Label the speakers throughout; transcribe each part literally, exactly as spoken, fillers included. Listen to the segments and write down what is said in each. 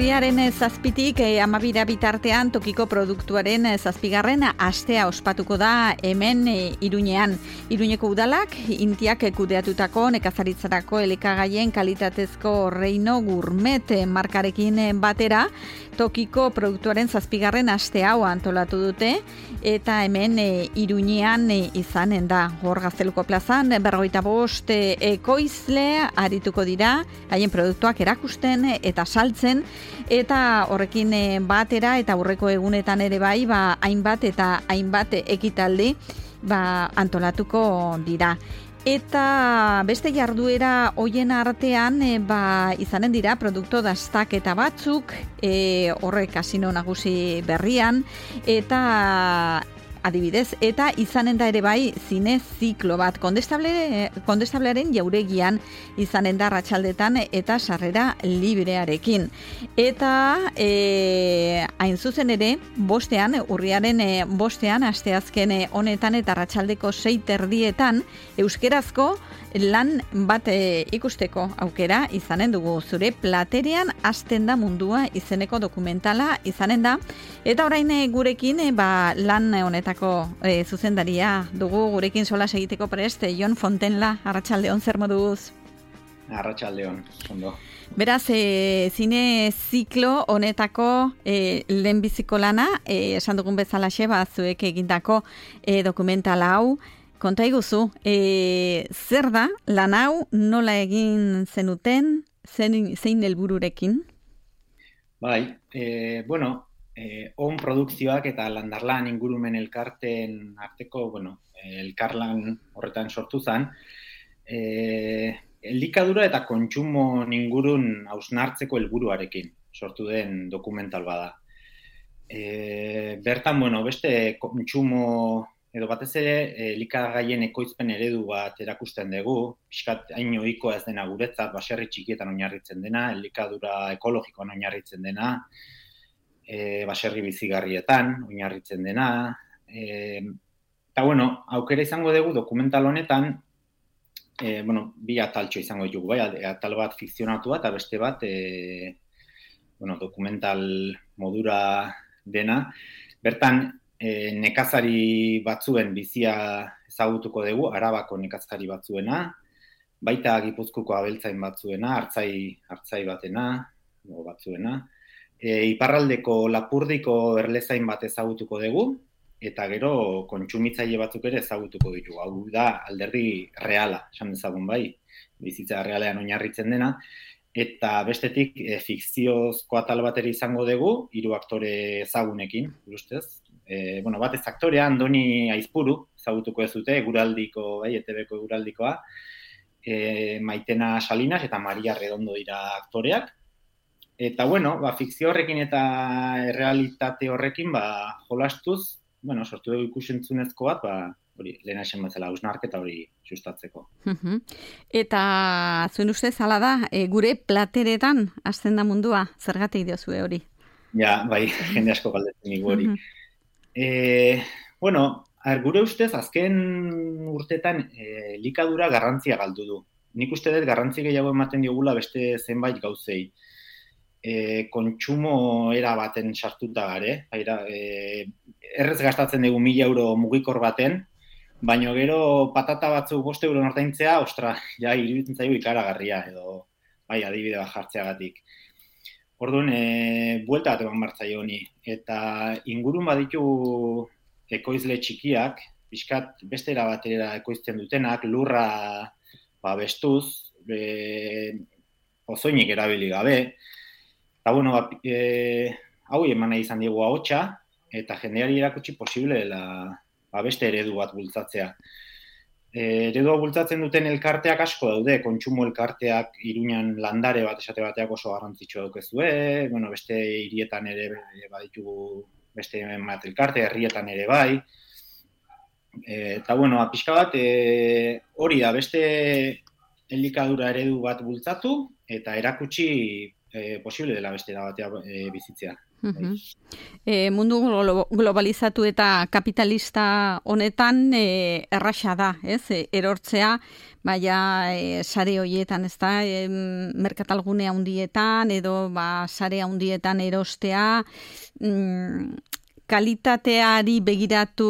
Speaker 1: urriaren zazpitik e, amabira bitartean tokiko produktuaren zazpigarren astea ospatuko da hemen e, Iruñean. Iruñeko udalak intiak kudeatutako nekazaritzarako elikagaien kalitatezko reino gourmet markarekin batera tokiko produktuaren zazpigarren aste hau antolatu dute eta hemen e, Iruñean e, izanen da. Hor Gazteluko plazan berrogeita bost e, ekoizle arituko dira haien produktuak erakusten eta saltzen eta horrekin batera eta aurreko egunetan ere bai ba hainbat eta hainbat ekitaldi ba antolatuko dira. Eta beste jarduera hoien artean e, ba izanen dira produktu dastaketa batzuk e, horrek kasino nagusi berrian eta adibidez, eta izanen da ere bai zine ziklo bat. Kondestable, kondestablearen jauregian izanen da arratsaldetan eta sarrera librearekin. Eta e, hain zuzen ere, bostean, urriaren e, bostean, asteazken honetan eta arratsaldeko sei terdietan, euskerazko lan bat e, ikusteko aukera izanen dugu. Zure platerean hasten da mundua izeneko dokumentala izanen da. Eta orain e, gurekin e, ba, lan honetan E, zuzendaria dugu gurekin solas egiteko prest, Jon Fontenla, arratsaldeon, zer moduz?
Speaker 2: Arratsaldeon, ondo.
Speaker 1: Beraz, e, zine ziklo honetako e, lehenbiziko lana, e, esan dugun bezalaxe, ba, zuek egindako e, dokumentala hau, konta iguzu, e, zer da lan hau, nola egin zenuten, zein, zein helbururekin?
Speaker 2: Bai, e, bueno, Eh, on produkzioak eta landarlan ingurumen elkarteen arteko, bueno, elkarlan horretan sortu zen, eh, elikadura eta kontsumo ingurun hausnartzeko helburuarekin sortu den dokumental bada. Eh, bertan, bueno, beste kontsumo edo batez ere elikagaien ekoizpen eredu bat erakusten dugu, pixkat hain ohikoa ez dena guretzat, baserri txikietan oinarritzen dena, elikadura ekologikoan oinarritzen dena, E, baserri bizigarrietan, oinarritzen dena. E, eta, bueno, aukera izango dugu dokumental honetan, e, bueno, bi ataltxo izango ditugu, bai, atal bat fikzionatua eta beste bat, e, bueno, dokumental modura dena. Bertan, e, nekazari batzuen bizia ezagutuko dugu, Arabako nekazari batzuena, baita Gipuzkoako abeltzain batzuena, hartzai, hartzai batena, o batzuena, E, iparraldeko Lapurdiko erlezain bat ezagutuko dugu, eta gero kontsumitzaile batzuk ere ezagutuko ditugu. Hau da alderdi reala, esan dezagun bai, bizitza realean oinarritzen dena, eta bestetik e, fikziozko atal bateri izango dugu, hiru aktore ezagunekin, ustez. E, bueno, batez aktorea, Andoni Aizpuru, ezagutuko ez dute, eguraldiko, bai, E T Bko eguraldikoa, e, Maitena Salinas eta Maria Redondo dira aktoreak. Eta, bueno, ba, fikzio horrekin eta errealitate horrekin, ba, jolastuz, bueno, sortu dugu ikusentzunezko bat, ba, hori, lehena esan batzela, hausnarketa hori sustatzeko.
Speaker 1: Eta, zuen ustez, hala da, e, gure plateretan hasten da mundua, zergatik diozue hori?
Speaker 2: Ja, bai, jende asko galdetzen digu hori. e, bueno, ar, gure ustez, azken urtetan, e, elikadura garrantzia galdu du. Nik uste dut garrantzi gehiago ematen diogula beste zenbait gauzei. E, kontsumo era baten sartuta gare, e, errez gastatzen dugu mila euro mugikor baten, baina gero patata batzuk bost euro ordaintzea, ostra, ja, iruditzen zaigu ikaragarria, edo, bai, adibide bat jartzeagatik. Orduan, e, buelta bat eman bartzaio honi, eta ingurun baditu ekoizle txikiak, pixkat bestera batera ekoizten dutenak, lurra ba, bestuz, e, ozoinik erabili gabe. Eta, bueno, ba, e, hau eman nahi izan diegu ahotsa, eta jendeari erakutsi posible dela ba, beste eredu bat bultzatzea. E, eredua bultzatzen duten elkarteak asko daude, kontsumo elkarteak Iruñan landare bat esate bateak oso garrantzitsua daukezue, bueno, beste hirietan ere baditugu beste bat elkarte, herrietan ere bai. E, eta, bueno, pixka bat, e, hori da, beste elikadura eredu bat bultzatu, eta erakutsi E, posible dela beste da batea e, bizitzea.
Speaker 1: Uh-huh. E, mundu globalizatu eta kapitalista honetan e, erraxa da, ez? E, erortzea, baina e, sare horietan, ez da, e, merkatalgune handietan edo ba, sare handietan erostea, mm, kalitateari begiratu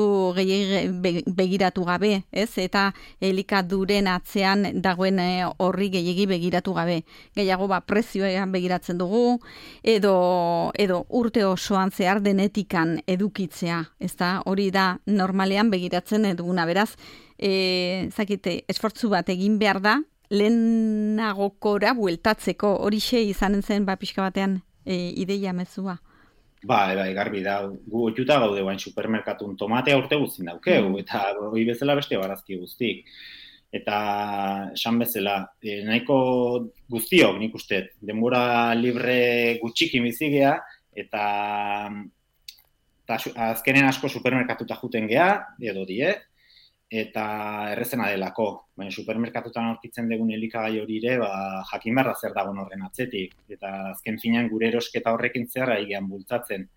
Speaker 1: begiratu gabe, ez? Eta elikaduren atzean dagoen horri gehiegi begiratu gabe. Gehiago ba prezioean begiratzen dugu edo edo urte osoan zehar denetikan edukitzea, ezta? Hori da normalean begiratzen duguna. Beraz, eh, zakite, esfortzu bat egin behar da lehenagokora bueltatzeko. Horixe izanen zen ba pixka batean e, ideia mezua.
Speaker 2: Ba, bai, garbi da, gu oituta gaude guain supermerkatun tomatea urte guztin daukeu, eta hori bezala beste barazki guztik. Eta esan bezala, e, nahiko guztiok nik uste, denbora libre gutxiki bizigea, eta, eta azkenen asko supermerkatuta juten gea, edo die, eta errezena delako. Baina supermerkatutan aurkitzen dugun elikagai hori ere, ba, jakin behar da zer dagoen horren atzetik. Eta azken finean gure erosketa horrekin zer aigean bultzatzen.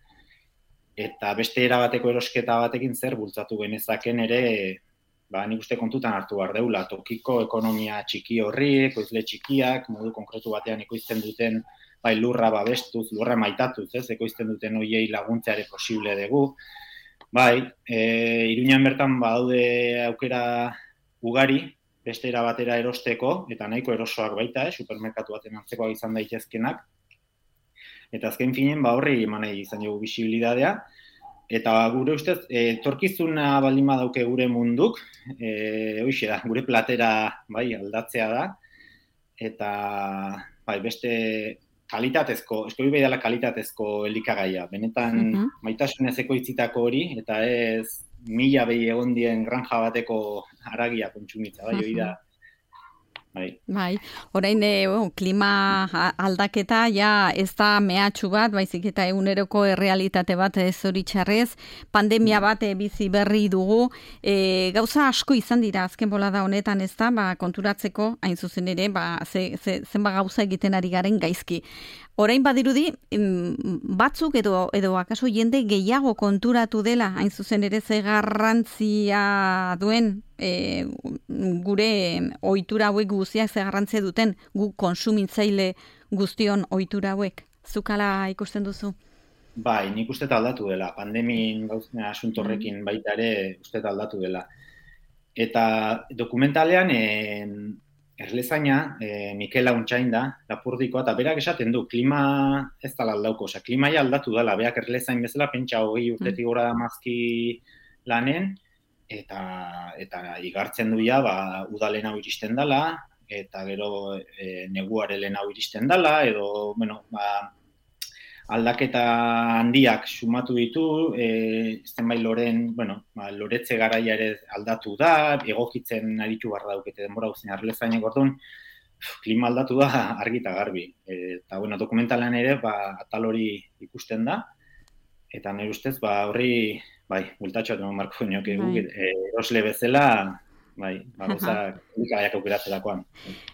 Speaker 2: Eta beste erabateko erosketa batekin zer bultzatu genezaken ere, ba, nik uste kontutan hartu behar deula. Tokiko ekonomia txiki horri, ekoizle txikiak, modu konkretu batean ekoizten duten, bai, lurra babestuz, lurra maitatuz, ez, ekoizten duten hoiei laguntzeare posible dugu. Bai, e, Iruñan bertan badaude aukera ugari, beste era batera erosteko, eta nahiko erosoak baita, eh, supermerkatu baten antzekoak izan daitezkenak. Eta azken finen, ba horri eman nahi izan dugu bisibilidadea. Eta gure ustez, etorkizuna baldin badauke gure munduk, e, hoixe da, gure platera bai, aldatzea da, eta bai, beste kalitatezko, eskobi bai dela kalitatezko elikagaia. Benetan uh-huh. maitasunez ekoitzitako hori, eta ez mila behi egon dien granja bateko haragia kontsumitza, bai, hori da. Bai.
Speaker 1: Bai, orain e, oh, klima aldaketa ja ez da mehatxu bat, baizik eta eguneroko errealitate bat ez hori txarrez, pandemia bat e, bizi berri dugu, e, gauza asko izan dira azken bolada honetan ez da, ba, konturatzeko, hain zuzen ere, ba, ze, ze, zenba gauza egiten ari garen gaizki. Orain badirudi, batzuk edo, edo akaso jende gehiago konturatu dela, hain zuzen ere ze garrantzia duen e, gure ohitura hauek guztiak ze garrantzia duten gu konsumitzaile guztion ohitura hauek. Zukala ikusten duzu?
Speaker 2: Bai, nik uste aldatu dela. Pandemin gauzena asuntorrekin baita ere uste aldatu dela. Eta dokumentalean en, Erlezaina, e, Mikel Launtxain da, Lapurdikoa, eta berak esaten du, klima ez dala aldauko, osea, klimaia aldatu dela, berak Erlezain bezala, pentsa hogei urtetik gora damazki lanen, eta, eta igartzen du ja, ba, udalen hau iristen dela, eta gero e, neguare lehen hau iristen dela, edo, bueno, ba, aldaketa handiak sumatu ditu, e, zenbait loren, bueno, ba, loretze garaia ere aldatu da, egokitzen aritu barra daukete denbora guztien Erlezainek orduan, klima aldatu da argi eta garbi. E, eta, bueno, dokumentalan ere, ba, atal hori ikusten da, eta nire ustez, ba, horri, bai, bultatxoat eman marko nioke, e, erosle bezala, bai, bagozak ikaiak aukeratzerakoan.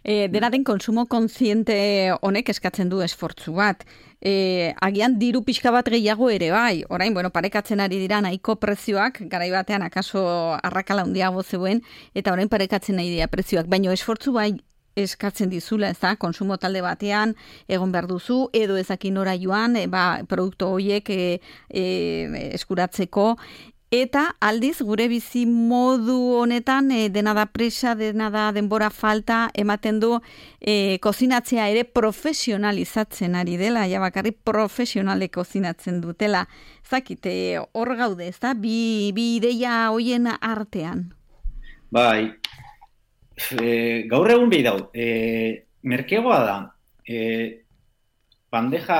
Speaker 1: E, dena den konsumo kontziente honek eskatzen du esfortzu bat. E, agian diru pixka bat gehiago ere bai. Orain, bueno, parekatzen ari dira nahiko prezioak, garai batean akaso arrakala handiago zeuen, eta orain parekatzen nahi dira prezioak. Baina esfortzu bai eskatzen dizula, ez da, konsumo talde batean egon behar duzu, edo ezakin nora joan, e, ba, produktu horiek e, e, eskuratzeko. Eta aldiz gure bizi modu honetan e, dena da presa, dena da denbora falta, ematen du e, kozinatzea ere profesionalizatzen ari dela, ja bakarri profesionale kozinatzen dutela. Zakite, hor gaude, ez da? Bi, bi ideia hoien artean.
Speaker 2: Bai, e, gaur egun behi dau, e, merkegoa da, e, bandeja,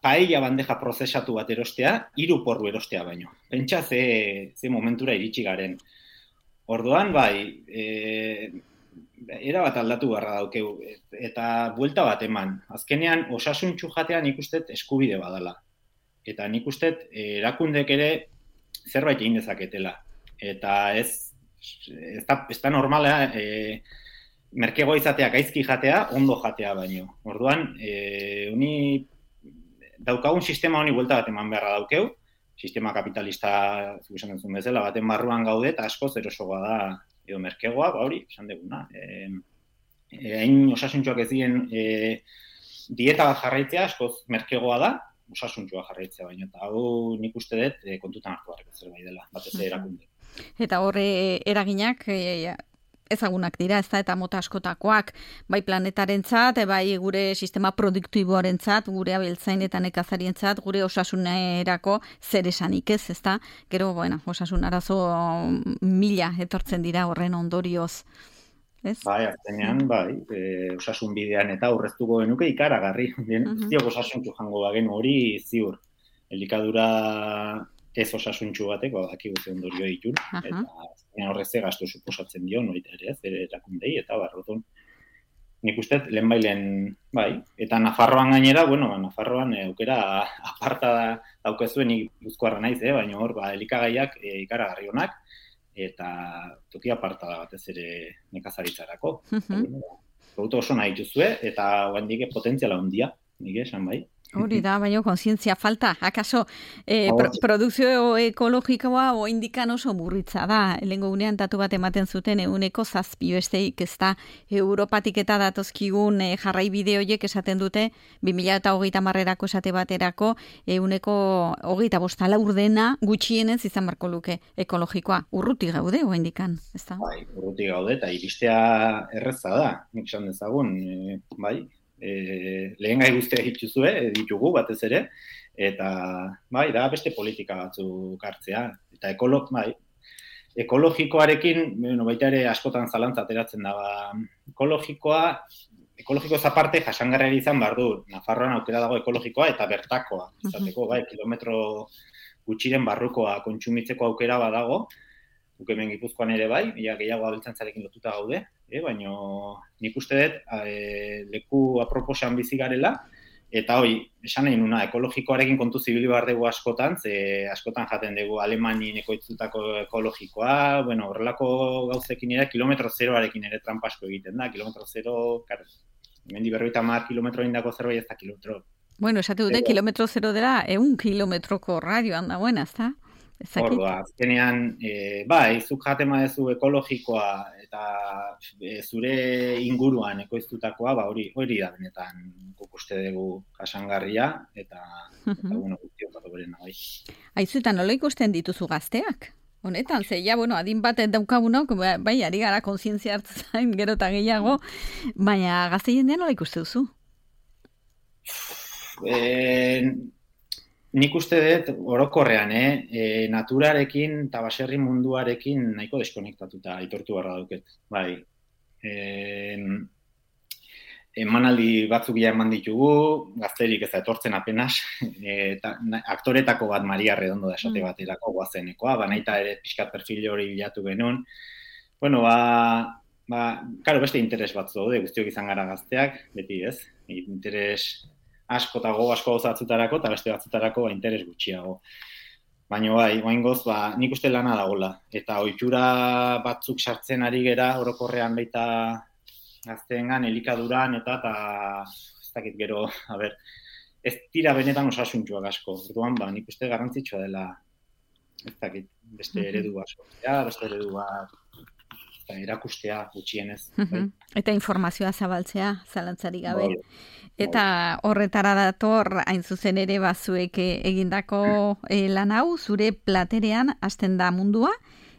Speaker 2: paella bandeja prozesatu bat erostea, hiru porru erostea baino. Pentsa ze, ze momentura iritsi garen. Orduan, bai, e, era bat aldatu beharra daukeu, eta buelta bat eman. Azkenean, osasuntsu jatean nik ustet eskubide badala. Eta nik ustet erakundek ere zerbait egin dezaketela. Eta ez, ez da, ez da normala, e, merkegoa izatea gaizki jatea, ondo jatea baino. Orduan, e, uni daukagun sistema honi buelta bat eman beharra daukeu, sistema kapitalista, zuk esan duzun bezala, baten barruan gaude, eta askoz erosoa da, edo merkegoa, ba hori, esan duguna. Hain e, osasuntxoak ez diren e, dieta bat jarraitzea, askoz merkegoa da, osasuntxoa jarraitzea baino, eta hau nik uste dut e, kontutan hartu harreko zerbait dela, batez erakunde.
Speaker 1: Eta horre eraginak e, ezagunak dira, ez da, eta mota askotakoak, bai planetarentzat, bai gure sistema produktiboarentzat, gure abiltzain eta nekazarientzat, gure osasunerako zer esanik ez, ez da, gero, bueno, osasun arazo mila etortzen dira horren ondorioz. Ez?
Speaker 2: Bai, azkenean, bai, e, osasun bidean eta aurreztuko genuke ikaragarri. Guztiok uh-huh. osasuntxu jango bagenu hori ziur. Elikadura ez osasuntxu bateko, daki guzi ondorio ditun, uh-huh. eta azkenean horreze gastu suposatzen dio, noita ere ez, ere erakundei, eta barrotun. Nik uste, lehen bailen, bai, eta Nafarroan gainera, bueno, Nafarroan e, aukera aparta da, daukezuen Gipuzkoarra naiz, eh, baina hor, ba, elikagaiak e, ikaragarri honak, eta toki aparta da batez ere nekazaritzarako. Uh-huh. Produktu oso nahi dituzue, eta oandik potentziala handia, nik esan bai.
Speaker 1: Hori da, baina kontzientzia falta. Akaso, eh, pro, produkzio ekologikoa oindikan oso burritza da. Lehengo unean datu bat ematen zuten euneko zazpi besteik, ez da, Europatik eta datozkigun eh, jarraibide horiek esaten dute, bi mila hogeita marrerako esate baterako, euneko hogeita bosta laur dena gutxienez izan barko luke ekologikoa. Urruti gaude oindikan, ez da?
Speaker 2: Bai, urruti gaude, eta iristea erreza da, nik esan dezagun, e, bai, E, lehen gai guztiak dituzue, ditugu batez ere, eta bai, da beste politika batzuk hartzea. Eta ekolog, bai, ekologikoarekin, bueno, baita ere askotan zalantza ateratzen da, ba, ekologikoa, ekologiko zaparte jasangarria izan behar du, Nafarroan aukera dago ekologikoa eta bertakoa, izateko, bai, kilometro gutxiren barrukoa kontsumitzeko aukera badago, guk hemen Gipuzkoan ere bai, ia gehiago abeltzantzarekin lotuta gaude, eh, baina nik uste dut e, leku aproposan bizi garela, eta hoi, esan nahi nuna, ekologikoarekin kontu zibili behar dugu askotan, ze askotan jaten dugu Alemanien ekoitzutako ekologikoa, bueno, horrelako gauzekin ere, kilometro zeroarekin ere trampasko egiten da, kilometro zero, karo, hemendi berroita mar kilometro indako zerbait ez da kilometro.
Speaker 1: Bueno, esate dute, kilometro zero dela, eun kilometroko radioan da buena, ez da?
Speaker 2: Horba, azkenean, e, bai, zuk jatema dezu ekologikoa eta e, zure inguruan ekoiztutakoa, ba, hori hori da benetan guk uste dugu jasangarria, eta, uh-huh. eta bueno, guztiok bat oberena, bai.
Speaker 1: Aizutan, nola ikusten dituzu gazteak? Honetan, ze, ja, bueno, adin bat daukagunok, bai, ari gara kontzientzia hartzen gero eta gehiago, baina gazte jendean nola ikuste duzu?
Speaker 2: Eh... Nik uste dut, orokorrean, eh? E, naturarekin eta baserri munduarekin nahiko deskonektatuta aitortu barra dauket. Bai, e, emanaldi batzuk ja eman ditugu, gazterik ez da etortzen apenas, e, ta, na, aktoretako bat Maria Redondo da esate baterako guazenekoa, banaita ere pixkat perfil hori bilatu genuen. Bueno, ba, ba, karo beste interes batzu daude, guztiok izan gara gazteak, beti ez, interes asko eta go asko gozatzutarako, eta beste batzutarako ba, interes gutxiago. Baina bai, oaingoz, ba, nik uste lana dagoela. Eta ohitura batzuk sartzen ari gera, orokorrean baita gazteengan, elikaduran, eta, eta ez dakit gero, a ber, ez dira benetan osasuntxuak asko. Orduan, ba, nik uste garrantzitsua dela, ez dakit, beste eredu bat sortzea, beste eredu bat erakustea gutxienez. Bai.
Speaker 1: Eta informazioa zabaltzea, zalantzari gabe. Bai. Eta horretara dator, hain zuzen ere bazuek egindako eh, lan hau, zure platerean hasten da mundua,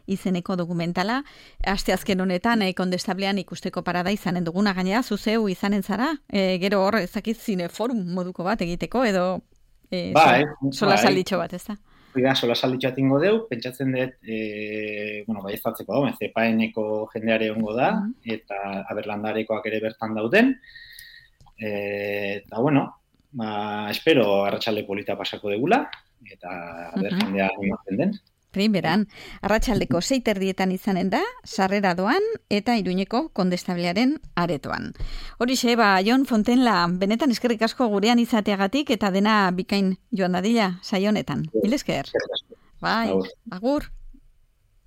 Speaker 1: izeneko dokumentala. Asteazken honetan, eh, kondestablean ikusteko parada izanen duguna, gainera, zuzeu izanen zara, eh, gero hor, ezakit zineforum moduko bat egiteko, edo eh,
Speaker 2: bai,
Speaker 1: sola
Speaker 2: bai.
Speaker 1: salditxo bat, ez da?
Speaker 2: Oida, sola salditxo atingo deu, pentsatzen dut, e, bueno, bai ez batzeko dago, zepaeneko jendeare ongo da, uh-huh. eta aberlandarekoak ere bertan dauden, e, eta bueno, ba, espero arratsalde polita pasako degula, eta aber uh-huh. jendea animatzen den.
Speaker 1: Primeran, arratsaldeko sei terdietan izanen da, sarrera doan eta Iruñeko kondestablearen aretoan. Horixe, ba, Jon Fontenla, benetan eskerrik asko gurean izateagatik eta dena bikain joan dadila saionetan. Mil esker. Bai, agur.